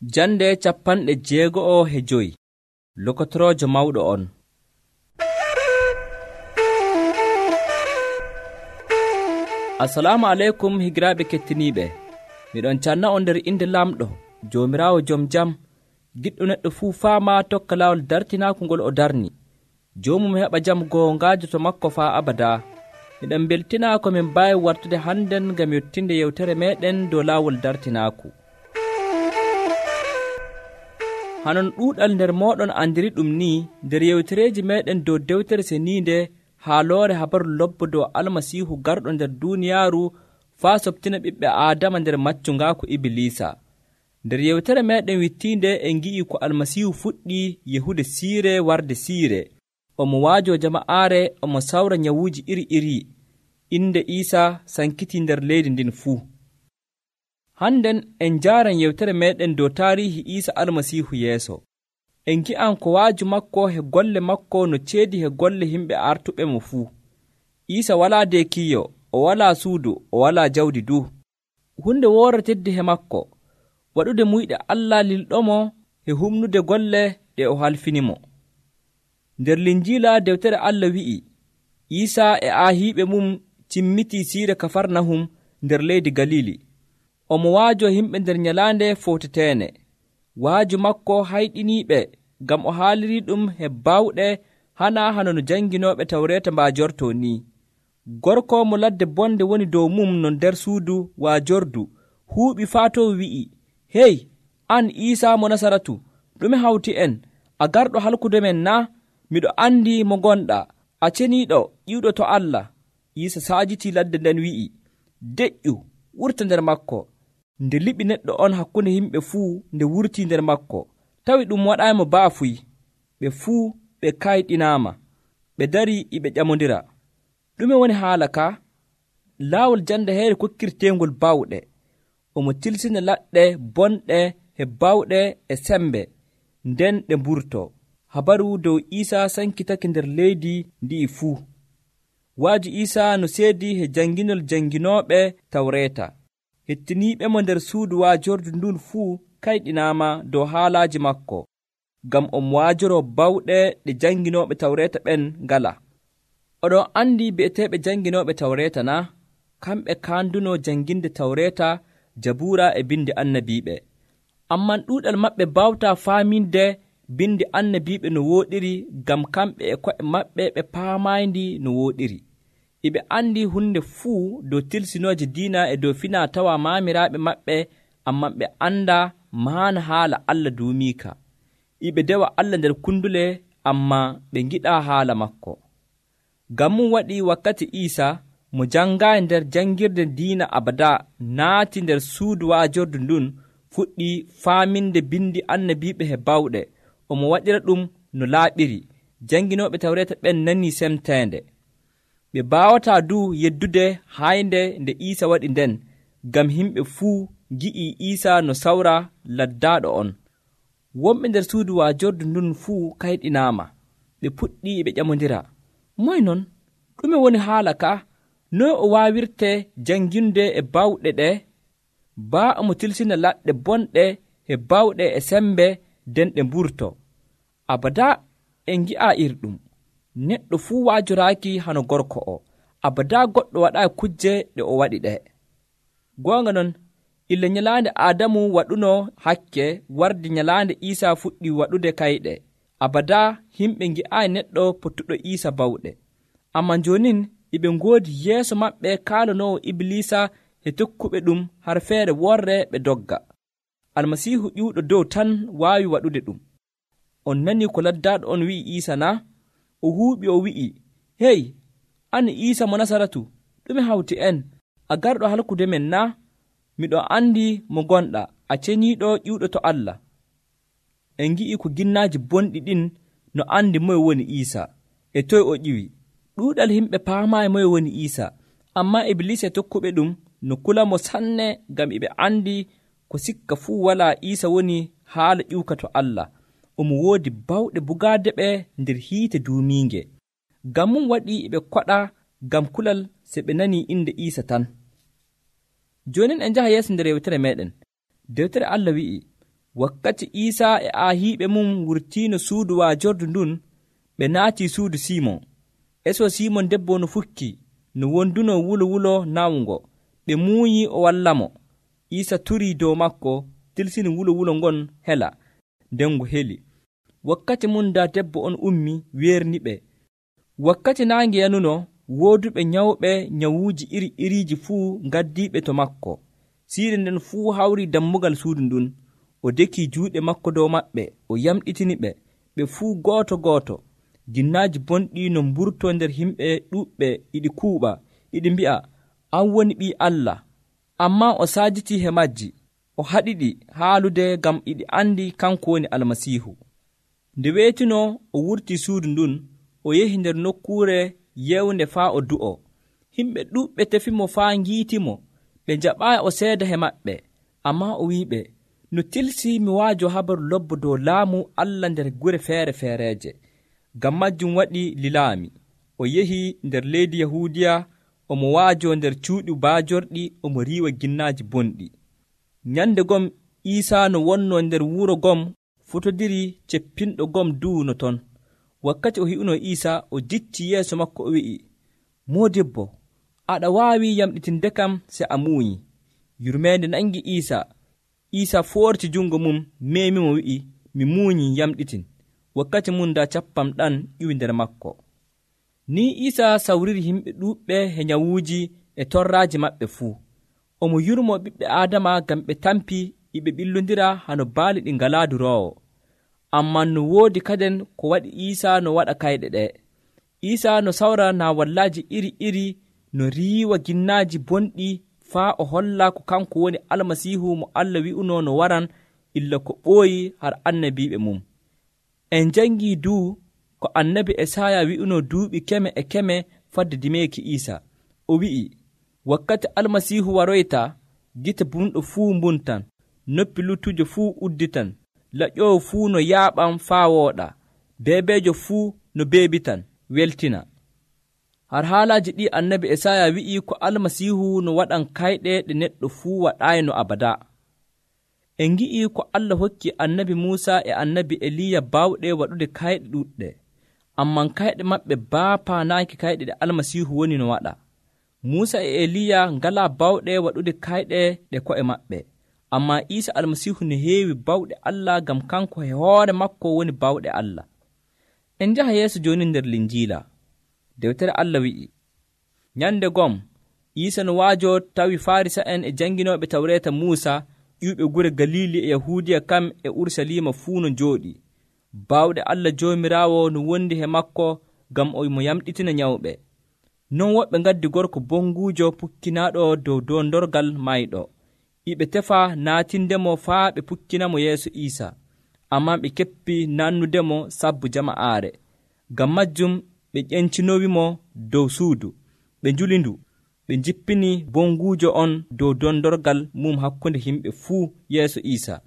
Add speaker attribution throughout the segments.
Speaker 1: Jande 65 Lokotoroojo mawɗo on. Assalamu aleykum higiraaɓe kettiniiɓe. Miɗon canna on nder inde lamɗo Joomiraawo jom jam, giɗɗo neɗɗo fuu faama tokka laawol dartinaaku ngol o darni. Joomum heɓa jam goongaajo to makko faa abada. Miɗon beltinaa ko min mbaawi wartude hannden ngam yottinde yewtere meeɗen dow laawol dartinaaku. Hanon ɗuuɗal nder mooɗon andiri ɗum ni nder yewtereeji meeɗen dow dewtere seniinde haaloore habaru lobbo dow almasiihu garɗo nder duuniyaaru faa soɓtina ɓiɓɓe aadama nder maccungaaku Ibilisa. Nder yewtere meeɗen wittiinde en ngi'i ko almasiihu fuɗɗi yehude siire warde siire. Omo waajo jama'aare, omo sawra nyawuuji iri-iri. Inde Iisaa sankitii nder leydi ndin fuu. Hannden en njaaran yewtere meeɗen dow taariihi Iisa almasiihu yeeso. En ngi'an ko waaju makko he golle makko no ceedi he golle himɓe artuɓe mo fuu. Iisa walaa deekiiyo, o walaa suudu, o walaa jawdi du. Hunde woore teddi he makko, waɗude muyɗe Allah lilɗomo he humnude golle ɗe o halfinimo. Nder Linjiila dewtere Allah wi'i, Iisa e aahiiɓe mum cimmitii siire Kafarnahum nder leydi Galili. Omo waajo himɓe nder nyalaande footeteene. Waaju makko hayɗiniiɓe ngam o haalirii ɗum he baawɗe hana hano no janginooɓe tawreeta mbaajortoo ni. Gorko mo ladde bonde woni dow mum no nder suudu waajordu huuɓi faa to wi'i, hey, an Iisa mo Nasaratu, ɗume hawti en? A garɗo halkude men na? Miɗo andi mo gonɗa, a ceniiɗo ƴiwɗo to Allah. Iisa saajitii ladde nden wi'i, deƴƴu, wurta nder makko. Nde liɓi neɗɗo on hakkunde yimɓe fuu nde wurtii nder makko, tawi ɗum waɗaayimo baafuy. Ɓe fuu ɓe kayɗinaama, ɓe darii e ɓe ƴamondira. Ɗume woni haala ka? Laawol jande heere kokkirteengol baawɗe. Omo tilsina laɗɗe bonɗe he baawɗe e sembe, nden ɗe mburtoo. Habaru dow Iisa sankitake nder leydi ndi'i fuu. Waaju Iisa no seedi he janginol janginooɓe tawreeta. Hettiniiɓe mo nder suudu waajordu ndun fuu kayɗinaama dow haalaaji makko, ngam omo waajoroo bawɗe ɗe janginooɓe tawreeta ɓen ngala. Oɗon anndi bi'eteeɓe janginooɓe tawreeta na? Kamɓe kaandunoo janginde tawreeta, Jabuura e bindi annabiiɓe. Amman ɗuuɗal maɓɓe baawtaa faaminde bindi annabiiɓe no wooɗiri, ngam kamɓe e ko'e maɓɓe ɓe paamaayndi no wooɗiri. Iɓe anndi hunde fuu dow tilsinooje diina e dow finaa tawa maamiraaɓe maɓɓe, amman ɓe anndaa maana haala Allah duumiika. Iɓe dewa Allah nder kundule, amma ɓe ngiɗaa haala makko. Ngam mum waɗi wakkati Iisa mo janngaayi nder janngirde diina abada naati nder suudu waajordu ndun, fuɗɗi faaminde bindi annabiiɓe he bawɗe. Omo waɗira ɗum no laaɓiri. Janginooɓe tawreeta ɓen nanii semteende. Ɓe baawataa du yeddude haynde nde Iisa waɗi nden, ngam yimɓe fuu ngi'ii Iisa no sawra laddaaɗo on. Wonɓe nder suudu waajordu ndun fuu kayɗinaama. Ɓe puɗɗi ɓe ƴamondira, moy non? Ɗume woni haala ka? Noy o waawirte janginde e baawɗe ɗe? Baa omo tilsina laɗɗe bonɗe he baawɗe e sembe, nden ɗe mburto. Abada en ngi'aa irɗum. Neɗɗo fuu waajoraaki hano gorko o. Abada goɗɗo waɗaayi kujje ɗe o waɗi ɗe. Goonga non, ille nyalaande Aadamu waɗuno hakke, wardi nyalaande Iisa fuɗɗi waɗude kayɗe. Abada himɓe ngi'aayi neɗɗo pottuɗo Iisa bawɗe. Amman joonin iɓe ngoodi yeeso maɓɓe kaalanoowo Ibilisa e tokkuɓe ɗum har feere worre ɓe dogga. Almasiihu ƴiwɗo dow tan waawi waɗude ɗum. On nanii ko laddaaɗo on wi'i Iisa na? O huuɓi o wi'i, hey, an Iisa mo Nasaratu, ɗume hawti en? A garɗo halkude men na? Miɗo anndi mo gonɗa, a ceniiɗo ƴiwɗo to Allah. En ngi'i ko ginnaaji bonɗi ɗin no anndi moye woni Iisa, e toye o ƴiwi. Ɗuuɗal yimɓe paamaayi moye woni Iisa, ammaa Ibilisa e tokkuɓe ɗum no kula mo sanne, ngam iɓe anndi ko sikka fuu walaa Iisa woni haala ƴiwka to Allah. Omo woodi bawɗe bugaade ɓe nder hiite duumiinge. Ngam mum waɗi ɓe koɗa ngam kulal se ɓe nanii inde Iisa tan. Joonin en njaha yeeso nder yewtere meeɗen. Dewtere Allah wi'i, Wakkati Iisa e aahiiɓe mum wurtiino suudu waajordu ndun, ɓe naatii suudu Simon. Eso Simon debbo no fukki, no wonduno wulo nawungo. Ɓe muuyi o wallamo. Iisa turii dow makko, tilsini wulo ngon hela, nden ngo heli. Wakkati mum da debbo on ummi weerniɓe. Wakkati naange yanuno, wooduɓe nyawɓe nyawuuji iri-iriiji fuu ngaddiiɓe to makko. Siire nden fuu hawri dammugal suudu ndun. O deki juuɗe makko dow maɓɓe, o yamɗitini ɓe. Ɓe fuu gooto. Jinnaaji bonɗi no mburtoo nder himɓe ɗuuɓɓe iɗi kuuɓa, iɗi mbi'a, an woni Ɓii Allah. Ammaa o saajitii he majji. O haɗiɗi haalude ngam iɗi andi kanko woni Almasiihu. Nde weetino o wurtii suudu ndun, o yehi nder nokkuure yewnde faa o du'o. Himɓe ɗuuɓɓe tefimo faa ngiitimo. Ɓe njaɓaayi o seeda he maɓɓe. Ammaa o wi'iɓe, no tilsi mi waajo habaru lobbo dow laamu Allah nder gure feere-feereeje. Ngam majjum waɗi lilaami. O yehi nder leydi Yahuudiya, omo waajo nder cuuɗi baajorɗi, omo riiwa ginnaaji bonɗi. Nyande gom Iisa no wonnoo nder wuro gom futodiri ceppinɗo gom duuno ton. Wakkati o hi'uno Iisa, o jicci yeeso makko o wi'i, Moodibbo, aɗa waawi yamɗitinde kam se a muuyi. Yurmeende nangi Iisa. Iisa foorti jungo mum, meemimo wi'i, mi muuyi yamɗitin. Wakkati mum da cappam ɗan iwi nder makko. Ni Iisa sawriri himɓe ɗuuɓɓe he nyawuuji e torraaji maɓɓe fuu. Omo yurmo ɓiɓɓe Aadama ngam ɓe tampi iɓe ɓillondira hano baali ɗi ngalaa duroowo. Ammaa no woodi kaden ko waɗi Iisa no waɗa kayɗe ɗe. Iisa no sawra naawallaaji iri-iri, no riiwa ginnaaji bonɗi faa o holla ko kanko woni Almasiihu mo Allah wi'uno no waran illa ko ɓooyi har annabiiɓe mum. En jangii duu ko annabi Esaya wi'uno duuɓi keme e keme fadde dimeeki Iisa. O wi'i, wakkati Almasiihu waroyta, gite bumɗo fuu mbuntan, noppi luttujo fuu udditan, laƴƴoowo fuu no yaaɓan faa wooɗa, beebeejo fuu no beebitan, weltina. Har haalaaji ɗi annabi Esaya wi'i ko Almasiihu no waɗan kayɗe ɗe neɗɗo fuu waɗaayno abada. En ngi'i ko Allah hokki annabi Muusa e annabi Eliya baawɗe waɗude kayɗe ɗuɗɗe, amman kayɗe maɓɓe baapaanaaki kayɗe ɗe Almasiihu woni no waɗa. Muusa e Eliya ngalaa bawɗe waɗude kayɗe ɗe ko'e maɓɓe, ammaa Iisa Almasiihu ne heewi bawɗe Allah ngam kanko e hoore makko woni bawɗe Allah. En njaha yeeso jooni nder Linjiila. Dewtere Allah wi'i, nyande gom Iisa no waajo tawi Farisa'en e janginooɓe Tawreeta Muusa ƴiwɓe gure Galili e Yahuudiya kam e Urusalima fuu no njooɗi. Bawɗe Allah Joomiraawo no wondi he makko ngam o mo yamɗitina nyawɓe. Non woɓɓe ngaddi gorko bonguujo pukkinaaɗo dow dondorgal mayɗo. Iɓe tefa naatindemo faa ɓe pukkinamo yeeso Iisa, ammaa ɓe keppi nannudemo sabbu jama'aare. Ngam majjum ɓe ƴencinowimo dow suudu, ɓe njuli ndu, ɓe jippini bonguujo on dow dondorgal mum hakkunde himɓe fuu yeeso Iisa.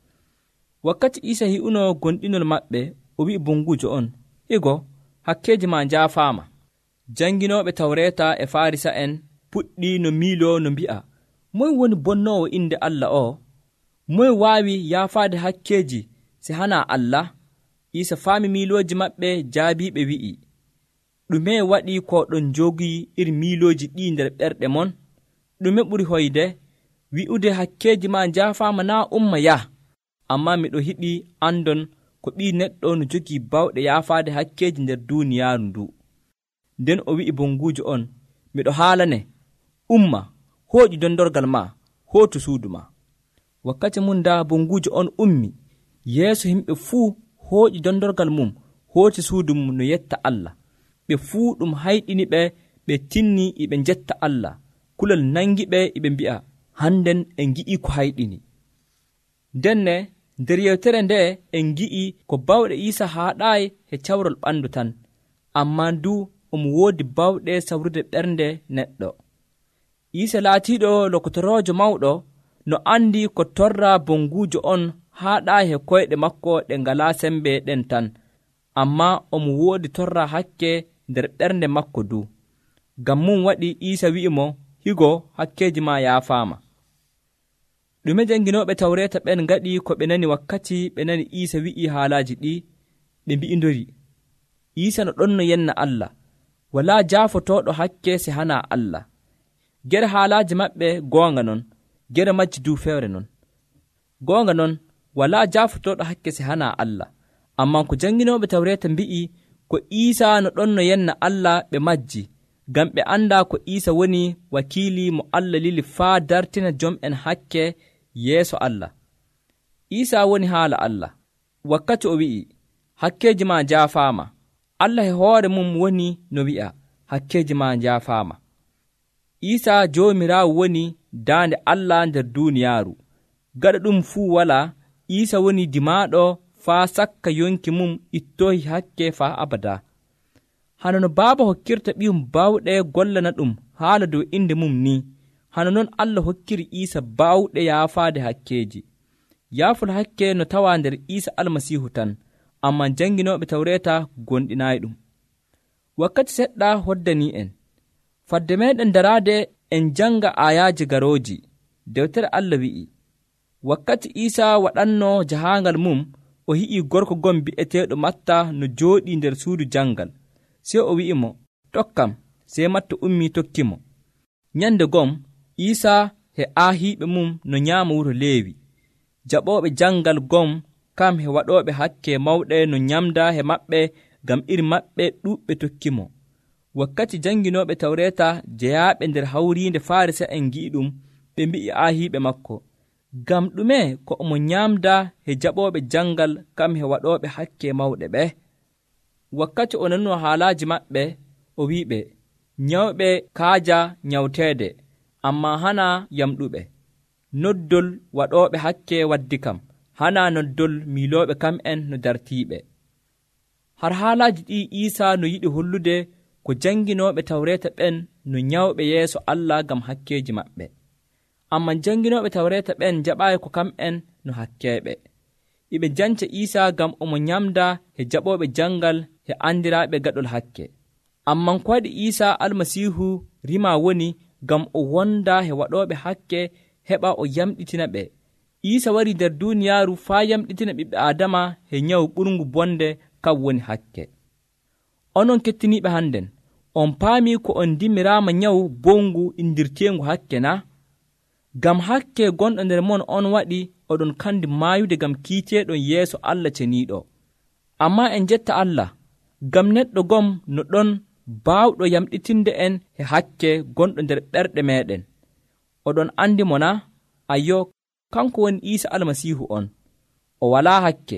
Speaker 1: Wakkati Iisa hi'uno gonɗinol maɓɓe, o wi'i bonguujo on, higo, hakkeeji ma njaafaama. Janginooɓe Tawreeta e Farisa'en puɗɗi no miiloo no mbi'a, moy woni bonnoowo inde Allah o? Moy waawi yaafaade hakkeeji se hana Allah? Iisa faami miilooji maɓɓe, jaabiiɓe wi'i, ɗume waɗi ko ɗon jogii iri miilooji ɗi nder ɓerɗe mon? Ɗume ɓuri hoyde? Wi'ude hakkeeji ma njaafaama naa umma yah. Ammaa miɗo hiɗi andon ko ɓii neɗɗo no jogii bawɗe yaafaade hakkeeji nder duuniyaaru ndu. Nden o wi'i bonguujo on, miɗo haalane, umma, hooƴu dondorgal ma, hootu suudu ma. Wakkati mum da bonguujo on ummi, yeeso himɓe fuu hooƴi dondorgal mum, hooti suudu mum no yetta Allah. Ɓe fuu ɗum hayɗini ɓe, ɓe tinni iɓe njetta Allah. Kulol nangi ɓe iɓe mbi'a, hannden en ngi'i ko hayɗini. Denne nder yewtere nde en ngi'i ko bawɗe Iisa haaɗaayi he cawrol ɓanndu tan, ammaa ndu omo woodi bawɗe sawrude ɓernde neɗɗo. Iisa laatiiɗo lokotoroojo mawɗo no andi ko torra bonguujo on haaɗaayi he koyɗe makko ɗe ngalaa sembe ɗen tan, ammaa omo woodi torra hakke nder ɓernde makko du. Ngam mum waɗi Iisa wi'imo, higo hakkeeji ma yaafaama. ɗume janginooɓe tawreeta ɓen ngaɗi ko ɓe nani wakkati ɓe nani Iisa wi'i haalaaji ɗi, ɓe mbi'indori Iisa no ɗon no yenna Allah, walaa jaafotooɗo hakke se hana Allah. Gere haalaaji maɓɓe goonga non, gere majji du fewre non. Goonga non, walaa jaafotooɗo hakke se hana Allah, amman ko janginooɓe tawreeta mbi'i ko Iisa no ɗon no yenna Allah ɓe majji, ngam ɓe anndaa ko Iisa woni wakiili mo Allah lili faa dartina jom'en hakke yeeso Allah. Iisa woni haala Allah, wakkati o wi'i, hakkeeji ma jaafaama. Allah e hoore mum woni no wi'a, hakkeeji ma jaafaama. Iisa Joomiraawo woni daande Allah nder duuniyaaru. Gaɗa ɗum fuu walaa, Iisa woni dimaaɗo faa sakka yonki mum ittoyi hakke faa abada. Hano no baaba hokkirta ɓiyum baawɗe gollana ɗum haala dow inde mum ni, hano non Allah hokkiri Iisa baawɗe yaafaade hakkeeji. Yaafol hakke no tawaa nder Iisa Almasiihu tan, amman janginooɓe tawreeta gonɗinaayi ɗum. Wakkati seɗɗa hoddanii en, fadde meeɗen daraade en janga aayaaji garooji. Dewtere Allah wi'i, wakkati Iisa waɗanno jahaangal mum, o hi'i gorko gon bi'eteeɗo Matta no jooɗii nder suudu jangal. Sey o wi'imo, tokkam. Sey Matta ummii tokkimo. Nyande gom Iisa he aahiiɓe mum no nyaama wuro Leewi. Jaɓooɓe jangal gom kam he waɗooɓe hakke mawɗe no nyamda he maɓɓe, ngam iri maɓɓe ɗuuɓɓe tokkimo. Wakkati janginooɓe tawreeta jeyaaɓe nder hawriinde Farisa'en ngi'i ɗum, ɓe mbi'i aahiiɓe makko, ngam ɗume ko omo nyaamda he jaɓooɓe jangal kam he waɗooɓe hakke mawɗe ɓe? Wakkati o nanno haalaaji maɓɓe, o wi'iɓe, nyawɓe kaaja nyawteede, ammaa hana yamɗuɓe. Noddol waɗooɓe hakke waddi kam, hana noddol miilooɓe kam'en no dartiiɓe. Har haalaaji ɗi Iisa no yiɗi hollude ko janginooɓe tawreeta ɓen no nyawɓe yeeso Allah ngam hakkeeji maɓɓe. Amman janginooɓe tawreeta ɓen jaɓaayi ko kam'en no hakkeeɓe. Iɓe janca Iisa ngam omo nyamda he jaɓooɓe jangal he andiraaɓe gaɗol hakke. Amman ko waɗi Iisa Almasiihu rima woni ngam o wonda he waɗooɓe hakke heɓa o yamɗitina ɓe. Iisa wari nder duuniyaaru faa yamɗitina ɓiɓɓe Aadama he nyawu ɓurngu bonde kam woni hakke. Onon kettiniiɓe hannden, on paamii ko on dimiraama nyawu bongu indirteengu hakke na? Ngam hakke gonɗo nder mon on waɗi oɗon kandi maayude ngam kiiteeɗon yeeso Allah ceniiɗo. Ammaa en jetta Allah, ngam neɗɗo gom no ɗon baawɗo yamɗitinde en he hakke gonɗo nder ɓerɗe meeɗen. Oɗon andi mo na? Ayyo, kanko woni Iisa Almasiihu on. O walaa hakke.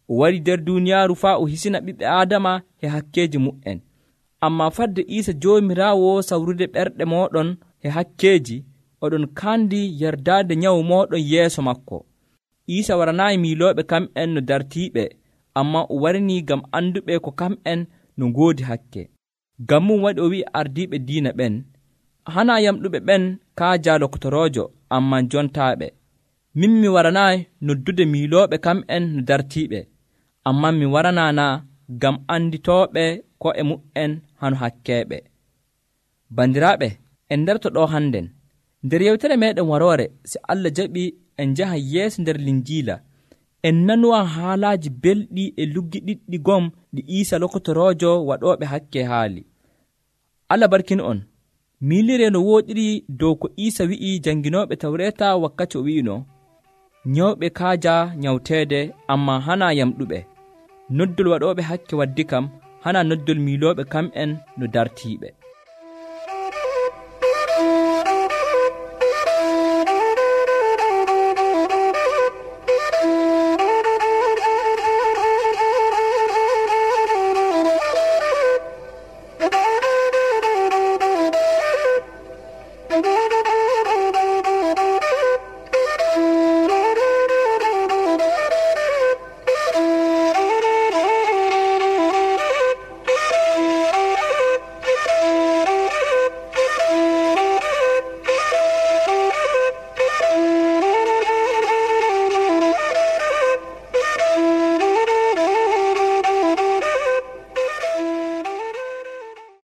Speaker 1: O wari nder duuniyaaru faa o hisina ɓiɓɓe Aadama he hakkeeji mu'en. Ammaa fadde Iisa Joomiraawo sawrude ɓerɗe mooɗon he hakkeeji, oɗon kandi yerdaade nyawu mooɗon yeeso makko. Iisa waranaayi miilooɓe kam'en no dartiiɓe, ammaa o warnii ngam anduɓe ko kam'en no ngoodi hakke. Ngam mum waɗi o wi'i ardiiɓe diina ɓen, hanaa yamɗuɓe ɓen kaaja lokotoroojo, ammaa jontaaɓe. Min mi waranaayi noddude miilooɓe kam'en no dartiiɓe, ammaa mi waranaana ngam anditooɓe ko e mu'en hano hakkeeɓe. Bandiraaɓe, en ndarto ɗo hannden. Nder yewtere meeɗen waroore, si Allah jaɓi en njaha yeeso nder Linjiila, en nanuwa haalaaji belɗi e luggi ɗiɗɗi gom ɗi Iisa lokotoroojo waɗooɓe hakke haali. Allah barkin on. Miilire no wooɗiri dow ko Iisa wi'i janginooɓe tawreeta wakkati o wi'ino, nyawɓe kaaja nyawteede, ammaa hana yamɗuɓe. Noddol waɗooɓe hakke waddi kam, hana noddol miilooɓe kam'en no dartiiɓe.